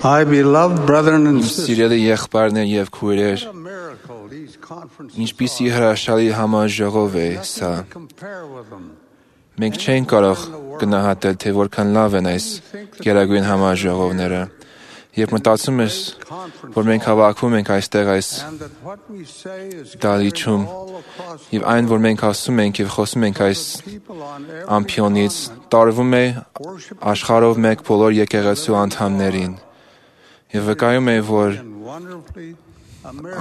My beloved brethren and sisters, Սիրելի եղբայրներ եւ քույրեր, what a miracle these conferences ինչպիսի հրաշալի համաժողով է սա։ are. Compare with them. Մենք չենք կարող գնահատել, թե որքան լավ են այս գերագույն համաժողովները։ Երբ մտածում ես, որ մենք հավաքվում ենք այստեղ այս And that what we say is դալիճում, all across եւ այն, որ մենք ասում ենք եւ խոսում ենք այս people on every ամփիոնից, տարվում է աշխարհով մեկ բոլոր եկեղեցու անդամներին։ Եվ վկայում է, որ and wonderfully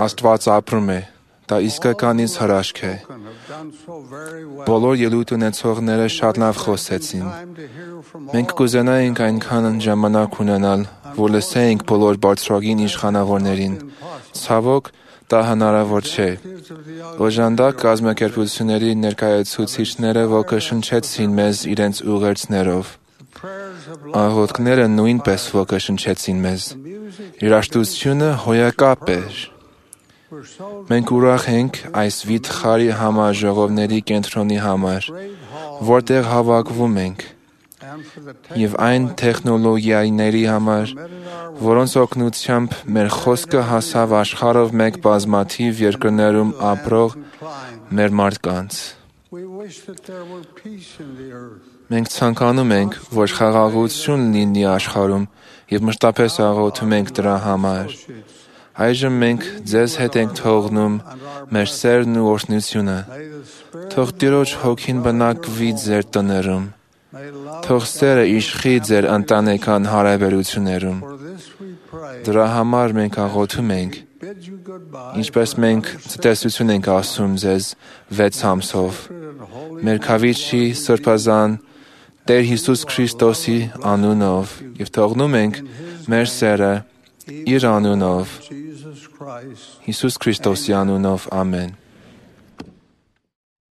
Աստված ապրում է։ Դա իսկականից հրաշք է։ American have done so very well. Բոլոր ելույթ ունեցողները շատ լավ խոսեցին։ Time to hear from Մենք կուզենայինք այնքան ժամանակ ունենալ, որ լսեինք բոլոր բարձրագույն իշխանավորներին։ Ցավոք, դա հնարավոր չէ։ Օժանդակ կազմակերպությունների ներկայացուցիչները ոգեշնչեցին մեզ իրենց ուղերձներով։ Աղոթքները նույնպես ոգեշնչեցին մեզ։ Երաժշտությունը հոյակապ էր։ Մենք ուրախ ենք այս վիթխարի համաժողովների կենտրոնի համար, որտեղ հավաքվում ենք, եւ այն տեխնոլոգիաների համար, որոնց օգնությամբ մեր խոսքը հասավ աշխարհով մեկ բազմաթիվ երկրներում ապրող մեր մարդկանց։ We wish that there were peace in the earth. Մենք ցանկանում ենք, որ խաղաղություն լինի աշխարհում եւ մշտապես աղոթում ենք դրա համար։ Այժմ մենք ձեզ հետ ենք թողնում մեր սերն ու օրհնությունը։ Թող Տիրոջ հոգին բնակվի ձեր տներում։ Թող սերը իշխի ձեր ընտանեկան հարաբերություններում։ Դրա համար մենք աղոթում ենք, ինչպես մենք ցտեսություն ենք ասում ձեզ 6 ամսով։ Մեր Քավիչի Սրբազան Տեր Հիսուս Քրիստոսի անունով եւ թողնում ենք մեր սերը իր անունով, Հիսուս Քրիստոսի անունով, ամեն։